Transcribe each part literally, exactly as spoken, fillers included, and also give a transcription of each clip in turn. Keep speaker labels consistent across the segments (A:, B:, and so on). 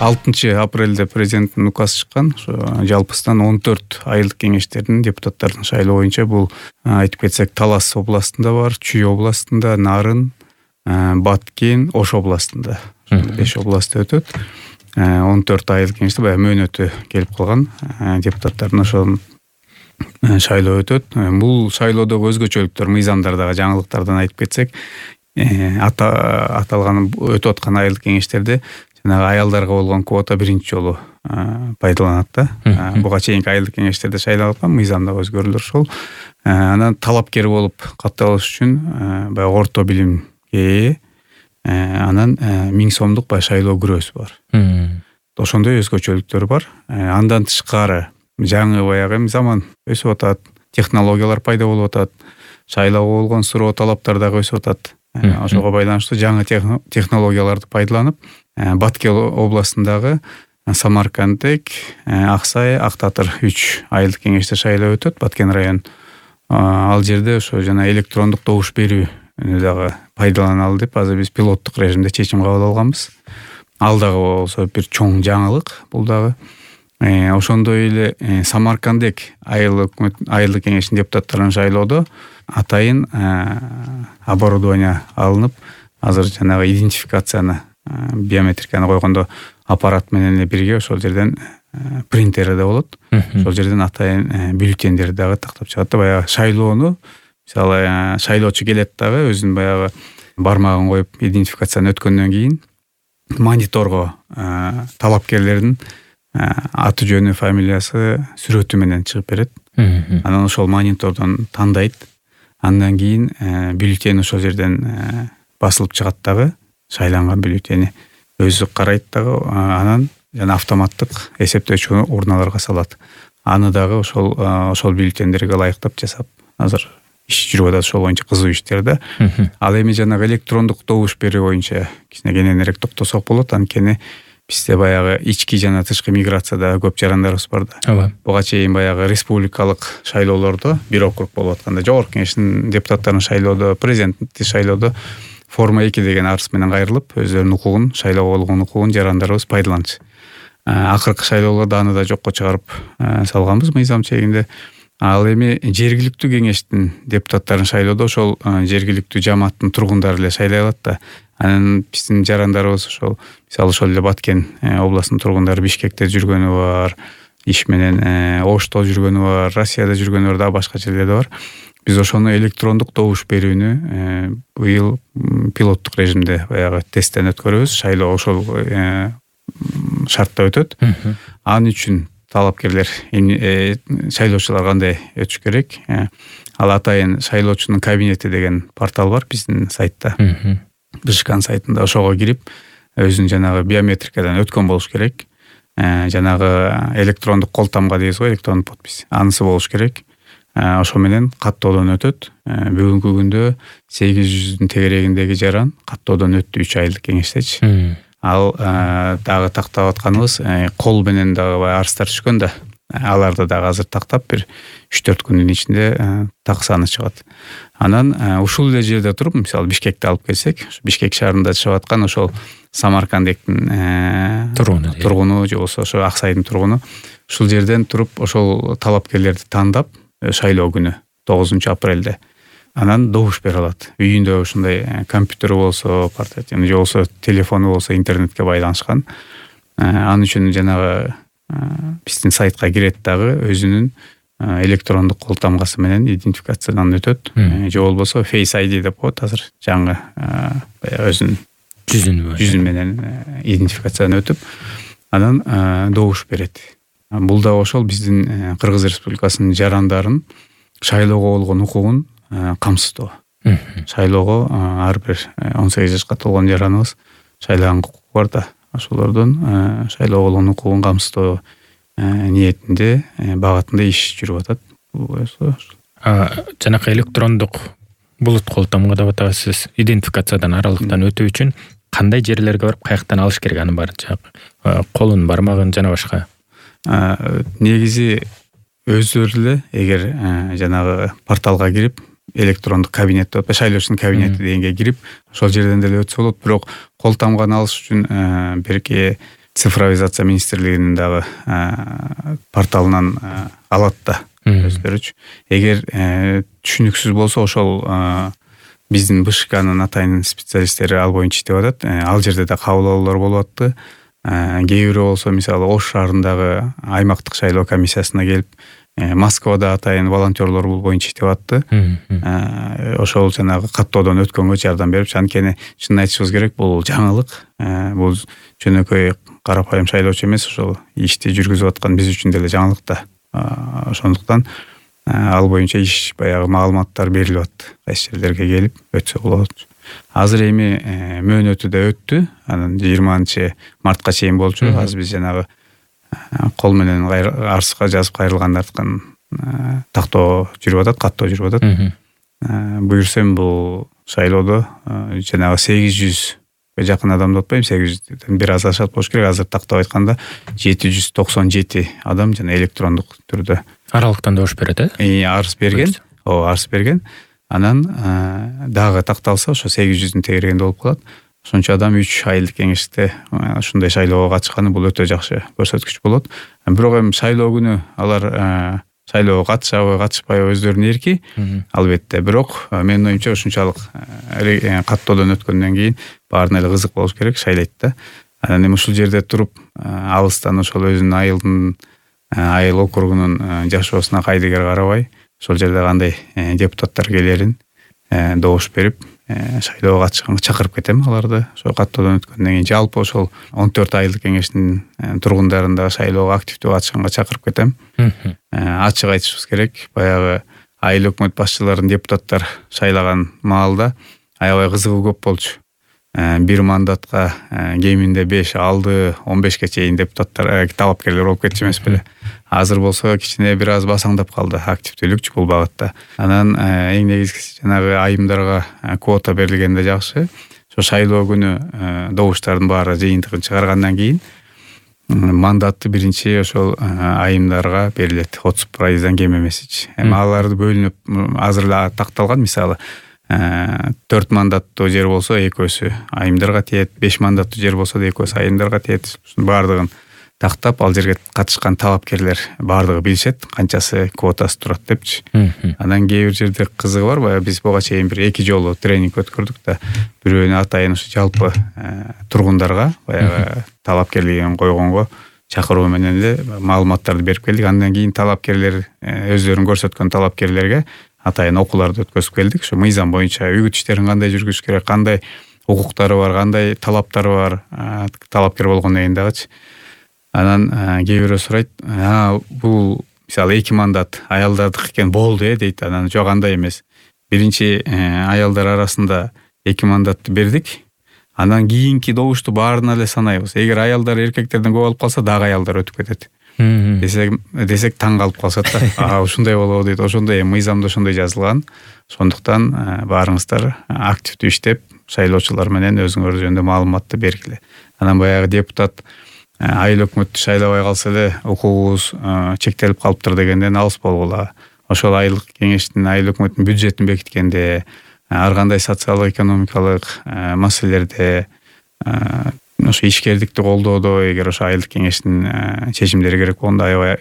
A: алтынчы апрелде президенттин указы чыккан. Ошо жалпысынан он төрт айылдык кеңештердин депутаттардын шайлоо боюнча бул айтып кетсек Талас областында бар, Чүй областында, Нарын, Баткен, Ош областында. беш областта өтөт. он төрт айылдык кеңеште баягы мөөнөтү келип калган депутаттардын ошол шайлоо өтөт. Бул шайлоодогу өзгөчөлүктөр, мыйзамдар дагы жаңылыктардан айтып кетсек, аталган өтүп аткан айылдык кеңештерде жанагы аялдарга болгон квота биринчи жолу пайдаланат да. Буга чейинки айылдык кеңештерде шайланган мыйзамда өзгөрүүлөр ошол. Анан талапкер болуп катталыш үчүн баягы орто билимге ээ, анан миң сомдук баягы шайлоо күрөөсү бар. Ошондой өзгөчөлүктөр бар. Андан тышкары жаңы баягы заман өсүп атат, технологиялар пайда болуп атат, шайлоого болгон суроо талаптар дагы өсүп атат. Ошого байланыштуу жаңы технологияларды пайдаланып, Баткен областындагы Самаркандек, Аксай, Актатыр үч айылдык кеңеште шайлоо өтөт. Баткен район. Ал жерде ошо жана электрондук добуш берүүнү дагы пайдаланалы деп азыр биз пилоттук режимде чечим кабыл алганбыз. Ал дагы болсо бир чоң жаңылык бул дагы. Ошондой эле Самаркандек айылдык айылдык кеңештин депутаттарын шайлоодо атайын оборудование алынып, азыр жанагы идентификацияны, биометриканы койгондо аппарат менен эле бирге ошол жерден принтери да болот. Ошол жерден атайын бюллетендерди дагы тактап чыгат да, баягы шайлоону, мисалы шайлоочу келет дагы өзүнүн баягы бармагын коюп идентификацияны өткөндөн кийин мониторго талапкерлердин аты жөнү, фамилиясы, сүрөтү менен чыгып берет. Анан ошол монитордон тандайт. Андан кийин бюллетень ошол жерден басылып чыгат дагы, шайланган бюллетени өзү карайт дагы, анан жана автоматтык эсептөөчү урналарга салат. Аны дагы ошол ошол бюллетендерге ылайыктап жасап, азыр иш жүрүп атат, ошол боюнча кызуу иштер да. Ал эми жанагы электрондук добуш берүү боюнча кичине кененирээк токтосок болот. Анткени бизде баягы ички жана тышкы миграцияда көп жарандарыбыз бар да. Буга чейин баягы республикалык шайлоолордо, бир округ болуп атканда, жогорку кеңештин депутаттарын шайлоодо, президентти шайлоодо форма эки деген арыз менен кайрылып, өздөрүнүн укугун, шайлоого болгон укугун жарандарыбыз пайдаланчу. Акыркы шайлоолордо аны да жокко чыгарып салганбыз мыйзам чегинде. Ал эми жергиликтүү кеңештин депутаттарын шайлоодо ошол жергиликтүү жамааттын тургундары эле шайлай алат да. Анан биздин жарандарыбыз ошол, мисалы ошол эле Баткен областынын тургундары Бишкекте жүргөнү бар, иш менен Ошто жүргөнү бар, Россияда жүргөнү бар, да башка жерлерде бар. Биз ошону электрондук добуш берүүнү быйыл пилоттук режимде баягы тесттен өткөрөбүз. Шайлоо ошол шартта өтөт. Ал үчүн талапкерлер, шайлоочулар кандай өтүш керек? Ал атайын шайлоочунун кабинети деген портал бар биздин сайтта. Бишкан сайтында ошого кирип, өзүнүн жанагы биометрикадан өткөн болуш керек. Жанагы электрондук кол тамга дейбиз го, электрондук подпись. Анысы болуш керек. Ошо менен каттоодон өтөт. Бүгүнкү күндө сегиз жүздүн тегерегиндеги жаран каттоодон өттү үч айылдык кеңештечи. Ал дагы тактап атканыбыз кол менен дагы арыздар түшкөн да. Аларды дагы азыр тактап бир үч төрт күндүн ичинде так саны чыгат. Анан ушул эле жерде туруп, мисалы Бишкекти алып келсек, Бишкек шаарында жашап аткан ошол Самаркандектин тургуну, тургуну же болбосо ошо Аксайдын тургуну ушул жерден туруп ошол талапкерлерди тандап, шайлоо күнү тогузунчу апрелде анан добуш бере алат. Үйүндө ушундай компьютери болсо, портативный же болсо телефону болсо интернетке байланышкан. Ал үчүн жанагы биздин сайтка кирет дагы өзүнүн электрондук кол тамгасы менен идентификациядан өтөт. Же болбосо Face ай ди деп коет азыр, жаңы өзүнүн жүзүн жүзүн менен идентификациядан өтүп, анан добуш берет. Бул да ошол биздин Кыргыз Республикасынын жарандарын шайлоого болгон укугун камсыздоо. Шайлоого ар бир он сегиз жашка толгон жараныбыз шайлаган укугу бар да. Ошолордун шайлоого болгон укугун камсыздоо ниетинде, багытында иш жүрүп атат.
B: Жанакы электрондук булут кол тамга деп атабыз, идентификациядан аралыктан өтүү үчүн кандай жерлерге барып, каяктан алыш керек аны бар? Колун, бармагын жана башка.
A: Негизи өздөрү эле эгер жанагы порталга кирип, электрондук кабинет деп атпайбы, шайлоочунун кабинети дегенге кирип, ошол жерден деле өтсө болот. Бирок кол тамганы алыш үчүн берки цифровизация министрлигинин дагы порталынан алат да өздөрүчү. Эгер түшүнүксүз болсо ошол биздин БШКнын атайын специалисттери ал боюнча иштеп атат. Ал жерде да кабыл алуулар болуп атты. Кээ бирөө болсо мисалы Ош шаарындагы аймактык шайлоо комиссиясына келип, Москвада атайын волонтерлор бул боюнча иштеп атты. Ошол жанагы каттоодон өткөнгө жардам берип, анткени чынын айтышыбыз керек, бул жаңылык. Бул жөнөкөй карапайым шайлоочу эмес, ошол ишти жүргүзүп аткан биз үчүн деле жаңылык да. Ошондуктан ал боюнча иш баягы маалыматтар берилип атты. Кайсы жерлерге келип өтсө болот. Азыр эми мөөнөтү да өттү. Анан жыйырманчы мартка чейин болчу. Азыр биз жанагы кол менен арска жазып кайрылгандардын тактоо жүрүп атат, каттоо жүрүп атат. Буюрсам бул шайлоодо жанагы сегиз жүзгө жакын адам деп атпайм, сегиз жүздөн бир аз ашат болуш керек. Азыр тактап айтканда жети жүз токсон жети адам жана электрондук түрдө
B: аралыктан добуш берет, э?
A: Арыз берген. Ооба, арыз берген. Анан дагы такталса ошо сегиз жүздүн тегерегинде болуп калат. Ошончо адам үч айылдык кеңеште ушундай шайлоого катышканы бул өтө жакшы көрсөткүч болот. Бирок эми шайлоо күнү алар шайлоого катышабы, катышпайбы өздөрүнүн эрки, албетте. Бирок менин оюмча ушунчалык каттоодон өткөндөн кийин баарына эле кызык болуш керек, шайлайт да. Анан эми ушул жерде туруп алыстан ошол өзүнүн айылдын айыл округунун жашоосуна кайдыгер карабай, ошол жерде кандай депутаттар келерин добуш берип, шайлоого катышканга чакырып кетем аларды. Ошол каттоодон өткөндөн кийин жалпы ошол он төрт айылдык кеңештин тургундарын да шайлоого активдүү катышканга чакырып кетем. Ачык айтышыбыз керек, баягы айыл өкмөт башчыларын депутаттар шайлаган маалда аябай кызыгуу көп болчу. Бир мандатка кеминде беш, алды, он бешке чейин депутаттар, талапкерлер болуп кетчү эмес беле. Азыр болсо кичине бир аз басаңдап калды активдүүлүкчү бул багытта. Анан эң негизгиси жанагы айымдарга квота берилгенде жакшы. Ошо шайлоо күнү добуштардын баары жыйынтыгын чыгаргандан кийин мандатты биринчи ошол айымдарга берилет. отуз пайыздан кем эмесичи. Эми аларды бөлүнүп азыр эле такталган, мисалы төрт мандаттуу жер болсо экөөсү айымдарга тиет, беш мандаттуу жер болсо да экөөсү айымдарга тиет. Ушунун баардыгын тактап, ал жерге катышкан талапкерлер баардыгы билишет, канчасы квотасы турат депчи. Анан кээ бир жерде кызыгы бар, баягы биз буга чейин бир эки жолу тренинг өткөрдүк да, бирөөнү атайын ушу жалпы тургундарга баягы талапкерлигин койгонго чакыруу менен эле маалыматтарды берип келдик. Андан кийин талапкерлер өздөрүн көрсөткөн талапкерлерге атайын окууларды өткөзүп келдик. Ошо мыйзам боюнча үгүт иштерин кандай жүргүзүш керек, кандай укуктары бар, кандай талаптары бар талапкер болгондон кийин дагычы. Анан кээ бирөө сурайт, бул мисалы эки мандат аялдардык экен болду э дейт. Анан жок, андай эмес. Биринчи аялдар арасында эки мандатты бердик. Анан кийинки добушту баарына эле санайбыз. Эгер аялдар эркектерден көп алып калса, дагы аялдар өтүп кетет. Десек, десек таң калып калышат да. А, ушундай болобу дейт. Ошондой мыйзамда ошондой жазылган. Ошондуктан баарыңыздар активдүү иштеп, шайлоочулар менен өзүңөр жөнүндө маалыматты бергиле. Анан баягы депутат айыл өкмөттү шайлабай калса эле укугубуз чектелип калыптыр дегенден алыс болгула. Ошол айылдык кеңештин, айыл өкмөттүн бюджетин бекиткенде, ар кандай социалдык экономикалык маселелерде, ошо ишкердикти колдоодо, эгер ошо айылдык кеңештин чечимдери керек болгондо аябай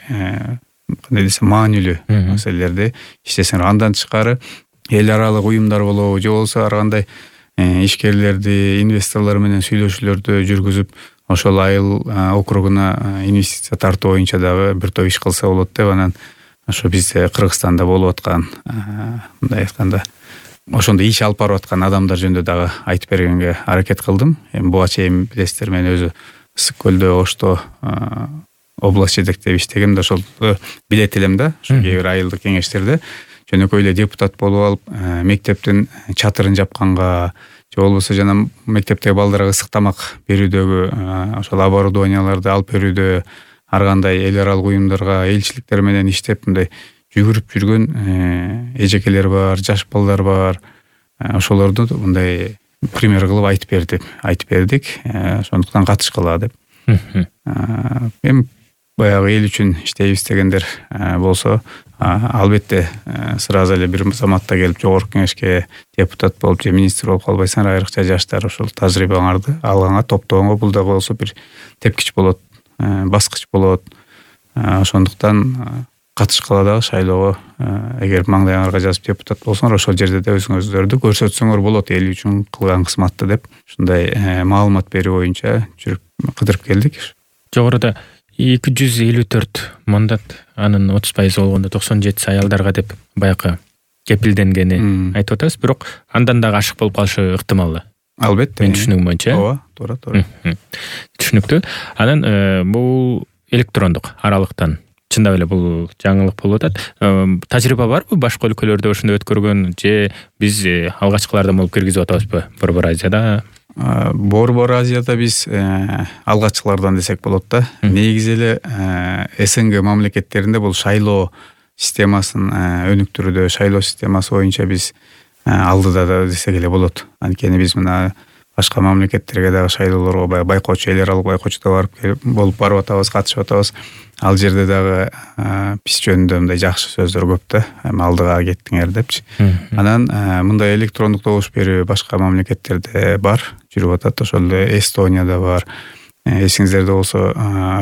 A: кандай десем маанилүү маселелерди иштесеңер. Андан тышкары эл аралык уюмдар болобу, же болбосо ар кандай ишкерлерди, инвесторлор менен сүйлөшүүлөрдү жүргүзүп, ошол айыл округуна инвестиция тартуу боюнча дагы бир топ иш кылса болот деп, анан ошо бизде Кыргызстанда болуп аткан, мындай айтканда, ошондой иш алып барып аткан адамдар жөнүндө дагы айтып бергенге аракет кылдым. Эми буга чейин билесиздер, мен өзү Ысык көлдө, Ошто область жетектеп иштегем да, ошол билет элем да, ошо кээ бир айылдык кеңештерде жөнөкөй эле депутат болуп алып, мектептин чатырын жапканга, же болбосо жана мектептеги балдарга ысык тамак берүүдөгү ошол оборудованияларды алып берүүдө, ар кандай эл аралык уюмдарга, элчиликтер менен иштеп, мындай жүгүрүп жүргөн эжекелер бар, жаш балдар бар. Ошолорду мындай пример кылып айтып бердик, айтып бердик. Ошондуктан катышкыла деп. Эми баягы эл үчүн иштейбиз дегендер болсо, албетте сразу эле бир заматта келип жогорку кеңешке депутат болуп же министр болуп калбайсың. Айрыкча жаштар ошол тажрыйбаңарды алганга, топтогонго бул дагы болсо бир тепкич болот, баскыч болот. Ошондуктан катышкыла дагы шайлоого эгер маңдайыңарга жазып депутат болсоңор, ошол жерде да өзүңүздөрдү көрсөтсөңөр болот эл үчүн кылган кызматты деп ушундай маалымат берүү боюнча жүрүп кыдырып келдик.
B: Жогоруда эки жүз элүү төрт мандат, анын отуз пайызы болгондо токсон жетиси аялдарга деп баягы кепилденгени айтып атабыз, бирок андан дагы ашык болуп калышы ыктымал.
A: Албетте.
B: Мен түшүнүгүм боюнча.
A: Ооба, туура, туура.
B: Түшүнүктүү. Анан бул электрондук аралыктан чындап эле бул жаңылык болуп атат. Тажрыйба барбы башка өлкөлөрдө ошондой өткөргөн, же биз алгачкылардан болуп киргизип атабызбы Борбор Азияда?
A: Борбор Азияда биз алгачкылардан десек болот да. Негизи эле СНГ мамлекеттеринде бул шайлоо системасын өнүктүрүүдө, шайлоо системасы боюнча биз алдыда да десек эле болот. Анткени биз мына башка мамлекеттерге дагы шайлоолорго баягы байкоочу, эл аралык байкоочуда барып келип болуп барып атабыз, катышып атабыз. Ал жерде дагы биз жөнүндө мындай жакшы сөздөр көп да, алдыга кеттиңер депчи. Анан мындай электрондук добуш берүү башка мамлекеттерде бар, жүрүп атат. Ошол эле Эстонияда бар. Эсиңиздерде болсо,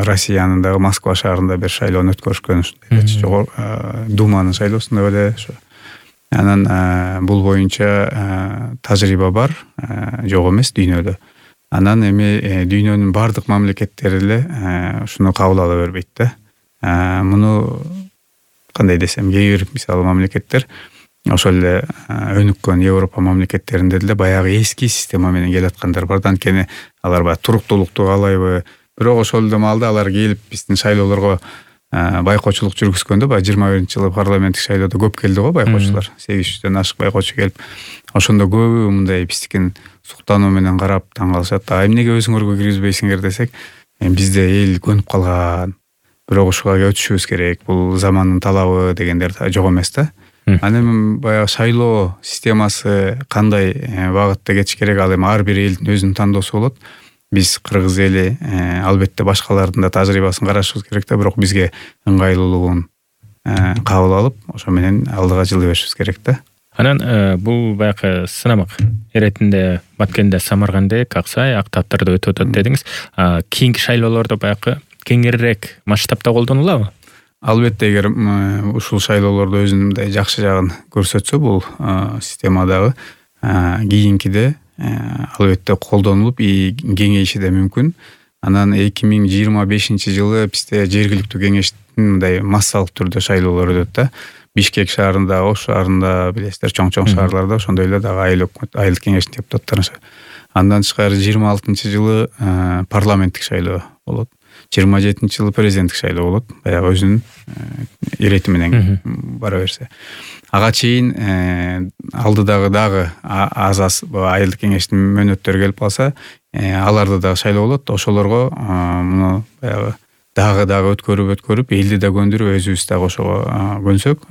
A: Россиянын дагы Москва шаарында бир шайлоону өткөрүшкөн, ушундай жогору Думанын шайлоосунда беле ошо. Анан бул боюнча тажрыйба бар, жок эмес дүйнөдө. Анан эми дүйнөнүн бардык мамлекеттери эле ушуну кабыл ала бербейт да. Муну кандай десем, кээ бир мисалы мамлекеттер ошол эле өнүккөн Европа мамлекеттеринде деле баягы эски система менен келаткандар бар да. Анткени алар баягы туруктуулукту каалайбы, бирок ошол эле маалда алар келип биздин шайлоолорго байкоочулук жүргүзгөндө, баягы жыйырма биринчи жылы парламенттик шайлоодо көп келди го байкоочулар. сегиз жүздөн ашык байкоочу келип, ошондо көбү мындай биздикин суктануу менен карап таң калышат. А эмнеге өзүңөргө киргизбейсиңер десек, бизде эл көнүп калган, бирок ушуга өтүшүбүз керек, бул замандын талабы дегендер жок эмес да. Анан баягы шайлоо системасы кандай багытта кетиш керек, ал эми ар бир элдин өзүнүн тандоосу болот. Биз кыргыз эли албетте башкалардын да тажрыйбасын карашыбыз керек да, бирок бизге ыңгайлуулугун кабыл алып, ошо менен алдыга жылы беришибиз керек да.
B: Анан бул баягы сынамак иретинде Баткенде, Самаркандек, Аксай, Актаптарда өтүп атат дедиңиз. Кийинки шайлоолордо баягы кеңирээк масштабта колдонулабы?
A: Албетте, эгер ушул шайлоолордо өзүнүн мындай жакшы жагын көрсөтсө бул системадагы, кийинкиде албетте колдонулуп кеңейиши да мүмкүн. Анан эки миң жыйырма бешинчи жылы бизде жергиликтүү кеңештин мындай массалык түрдө шайлоолор өтөт да. Бишкек шаарында, Ош шаарында, билесиздер, чоң-чоң шаарларда ошондой эле дагы айыл өкмөт, айылдык кеңештин депутаттары. Андан тышкары жыйырма алтынчы жылы парламенттик шайлоо болот. жыйырма жетинчи жылы президенттик шайлоо болот. Баягы өзүнүн ирети менен бара берсе. Ага чейин алдыдагы дагы аз-аз айылдык кеңештин мөөнөттөрү келип калса, аларда дагы шайлоо болот. Ошолорго муну баягы дагы-дагы өткөрүп өткөрүп, элди да көндүрүп, өзүбүз дагы ошого көнсөк,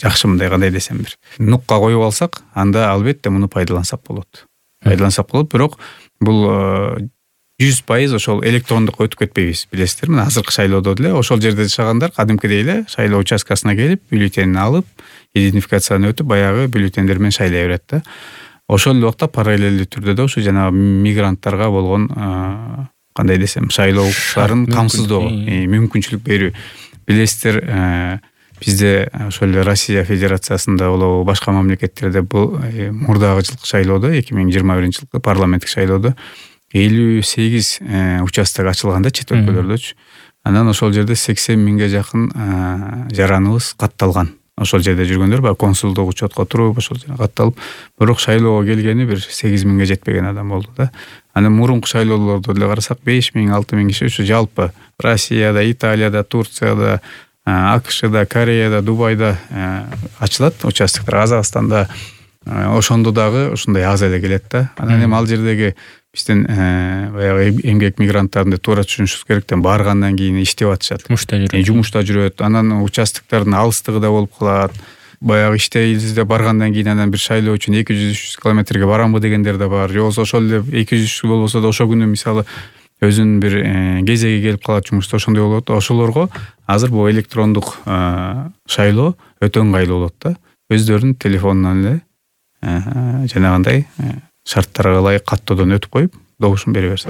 A: жакшы мындай кандай десем бир нукка коюп алсак, анда албетте муну пайдалансак болот. Пайдалансак болот, бирок бул жүз пайыз ошол электрондукка өтүп кетпейбиз, билесиздер. Мына азыркы шайлоодо деле ошол жерде жашагандар кадимкидей эле шайлоо участкасына келип, бюллетенин алып, идентификацияны өтүп, баягы бюллетендер менен шайлай берет да. Ошол эле убакта параллелдүү түрдө да ушу жанагы мигранттарга болгон кандай десем, шайлоо укуктарын камсыздоо, мүмкүнчүлүк берүү. Билесиздер, бизде ошол эле Россия Федерациясында болобу, башка мамлекеттерде бул мурдагы жылкы шайлоодо, эки миң жыйырма биринчи жылкы парламенттик шайлоодо элүү сегиз участок ачылганда чет өлкөлөрдөчү. Анан ошол жерде сексен миңге жакын жараныбыз катталган. Ошол жерде жүргөндөр баягы консулдук учетко туруп, ошол жерде катталып, бирок шайлоого келгени бир сегиз миңге жетпеген адам болду да. Анан мурунку шайлоолордо деле карасак, беш миң, алты миң киши ушу жалпы Россияда, Италияда, Турцияда, АКШда, Кореяда, Дубайда ачылат участоктор. Казакстанда ошондо дагы ушундай аз эле келет да. Анан эми ал жердеги биздин баягы эмгек мигранттарын туура түшүнүшүбүз керек да, баргандан кийин иштеп атышат. Жумушта жүрөт. Анан участоктордун алыстыгы да болуп калат. Баягы иштейбизде баргандан кийин анан бир шайлоо үчүн эки жүз үч жүз километрге барамбы дегендер да бар. Же болбосо ошол эле эки жүз үч жүз болбосо да ошол күнү мисалы өзүнүн бир кезеги келип калат, жумушта ошондой болот. Ошолорго азыр бул электрондук шайлоо өтө ыңгайлуу болот да. Өздөрүнүн телефонунан эле жанагындай шарттарга ылайык каттоодон өтүп коюп, добушун бере берсе.